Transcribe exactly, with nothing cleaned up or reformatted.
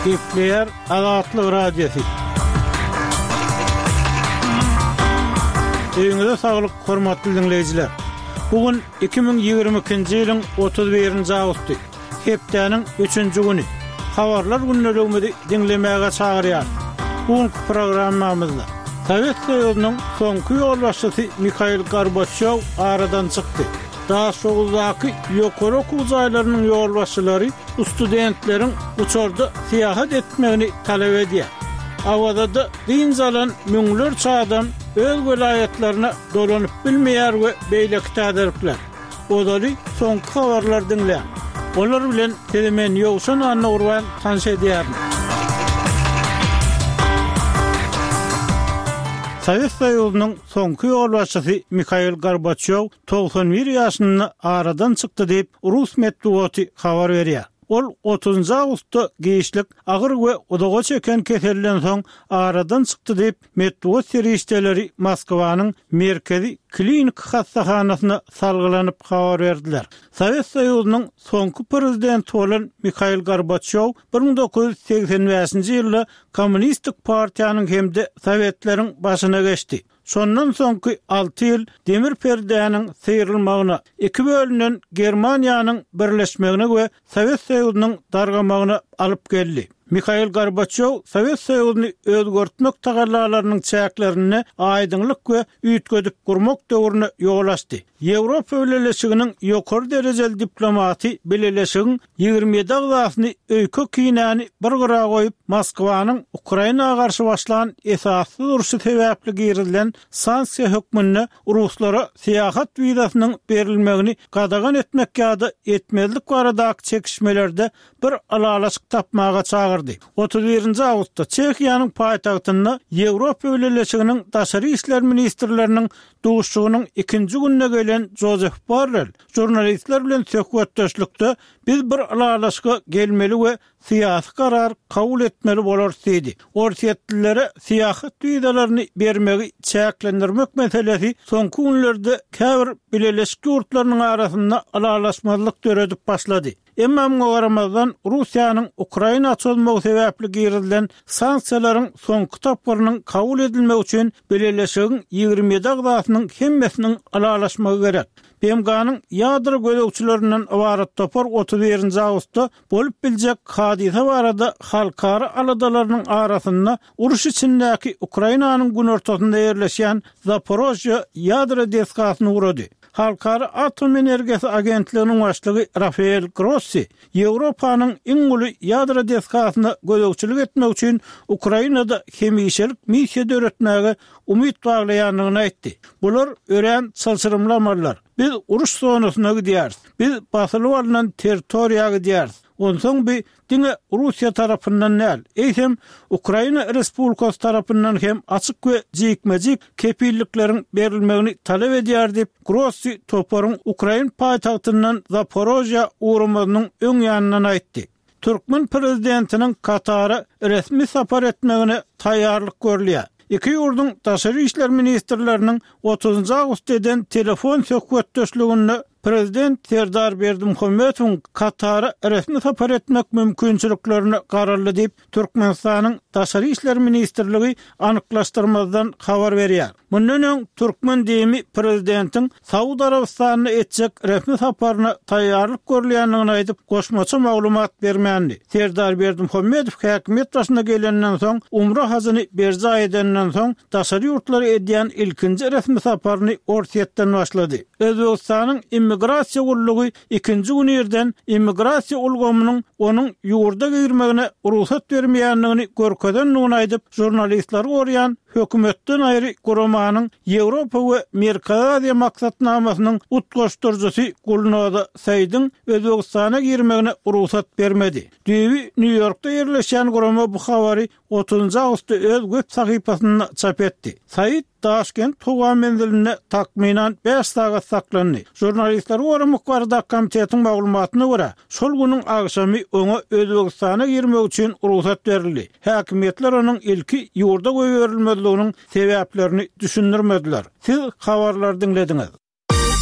Gepleýär Azatlyk Radiosy. Öýüňize saglyk, hormatly diňleýjiler! Bu gün iki müň ýigrimi ikinji ýylyň otuz birinji awgusty, hepdäniň üçünji güni. Habarlar gündeligimizi diňlemäge çagyrýarys. Bu günki programmamyzda Sowet Soýuzynyň soňky ýolbaşçysy Mihail Gorbaçýow aradan çykdy. Daşoguzdaky ýokary okuw jaýlarynyň ýolbaşçylary studentleriň uçarda syýahat etmegini talap edýär. Awazada dynç alan müňlerçe adam öz welaýatlaryna dolanyp bilmeýär we beýleki täzelikler. Ozaly soňky habarlary diňläň. Olar bilen sizi men Ýowşan Annagurban tanyş edýärin. Sowet Soýuzynyň soňky ýolbaşçysy Mihail Gorbaçýow togsan bir ýaşynda aradan çykdy diýip, rus metbugaty habar berýär. Ol otuzynjy awgustda giçlik agyr we uzaga çeken keselden soň aradan çykdy diýip, metbugat serişdeleri Moskwanyň Merkezi kliniki hassahanasyna salgylanyp habar berdiler. Sowet Soýuzynyň soňky prezidenti bolan Mihail Gorbaçýow bir müň dokuz ýüz segsen bäşinji ýylda Kommunistik partiýanyň hem-de Sowetleriň başyna geçdi. Şondan soňky alty ýyl demir perdäniň syrylmagyna, iki bölünen Germaniýanyň birleşmegine we Sowet Soýuzynyň dargamagyna alyp geldi. Mihail Gorbaçýow Sowet Soýuzyny özgertmek tagallalarynyň çäklerinde aýdyňlyk we üýtgedip gurmak döwrüne ýol açdy. Ýewropa Bileleşiginiň ýokary derejeli diplomaty Bileleşigiň ýigrimi ýedi agzasyny öýke-kinäni bir gyra goýup, Moskwanyň Ukraina garşy başlan esassyz urşy sebäpli girizilen sanksiýa hökmünde ruslara syýahat wizasynyň berilmegini gadagan etmek ýa-da etmezlik baradaky çekişmelerde bir ylalaşyk tapmaga çagyrdy. Otuz birinji awgustda Çehiýanyň paýtagtynda Ýewropa Bileleşiginiň daşary işler ministrleriniň duşuşygynyň ikinji gününe gelen Jozef Borrell žurnalistler bilen söhbetdeşlikde biz bir ylalaşyga gelmeli we syýasy karar kabul etmeli bolarys diýdi. Orsýetlilere syýahat wizalaryny bermegi çäklendirmek meselesi soňky günlerde käbir bileleşik ýurtlarynyň arasynda ylalaşmazlyk döredip başlady. Emma muňa garamazdan, Russiýanyň Ukraina çozmagy sebäpli girizilen sanksiýalaryň soňky tapgyrynyň kabul edilmegi üçin Bileleşigiň ýigrimi ýedi agzasynyň hemmesiniň ylalaşmagy gerek. B M G-nyň ýadro gözegçilerinden ybarat topar otuz birinji awgustda bolup biljek hadysa barada halkara aladalarynyň arasynda uruş içindäki Ukrainanyň günortasynda ýerleşýän Zaporožýe ýadro desgasyny gurady. Halkara atom energiýasy agentliginiň başlygy Rafael Grossi Ýewropanyň iň uly ýadro desgasyna gözegçilik etmek üçin Ukrainada hemişelik missiýa döretmäge umyt baglaýandygyny aýtdy. Bular örän çylşyrymly amallar. Biz uruş zonasyna gidýäris. Biz basylyp alnan territoriýa gidýäris. Onsoň bi diňe Russiýa tarapyndan däl, eýsem Ukraina Respublikasy tarapyndan hem açyk we jikme-jik kepillikleriň berilmegini talap edýär diýip, Grossi toparyň ukrain paýtagtyndan Zaporožýa ugramazynyň öň ýanyndan aýtdy. Türkmen prezidentiniň Katara resmi sapar etmegine taýýarlyk görülýär. Iki ýurduň daşary işler ministrleriniň otuzynjy awgustda eden telefon söhbetdeşliginde Prezident Serdar Berdimuhamedowyň Katara resmi sapar etmek mümkinçiliklerine garaldy diýip, Türkmenistanyň Daşary işler ministrligi anyklaşdyrmazdan habar berýär. Mundan öň türkmen D I M-i prezidentiň Saud Arabystanyna etjek resmi saparyna taýýarlyk görülýändigini aýdyp, goşmaça maglumat bermändi. Serdar Berdimuhamedow häkimiýet başyna gelenden soň, umra hajyny berjaý edenden soň, daşary ýurtlara edýän ilkinji resmi saparyny Orsýetden başlady. Özbegistanyň immigrasiýa gullugy ikinji gün irden immigrasiýa ulgamynyň onuň ýurda girmegine rugsat bermeýändigini görkezendigini aýdyp, žurnalistleri goraýan hökümetden aýry guramanyň Ýewropa we Merkezi Aziýa maksatnamasynyň utgaşdyryjysy Gulnoza Saýdyň Özbegistana girmegine rugsat bermedi. Düýbi Nýu-Ýorkda ýerleşýän gurama bu habary otuzynjy awgustda öz web sahypasynda çap etdi. Said Daşkent howa menzilinde takmynan bäş sagat saklandy. Žurnalistleri goramak baradaky komitetiň maglumatyna görä, şol günüň agşamy oňa Özbegistana girmek üçin rugsat berildi. Häkimiýetler onuň ilki ýurda goýberilmezliginiň sebäplerini düşündirmediler. Siz habarlary diňlediňiz.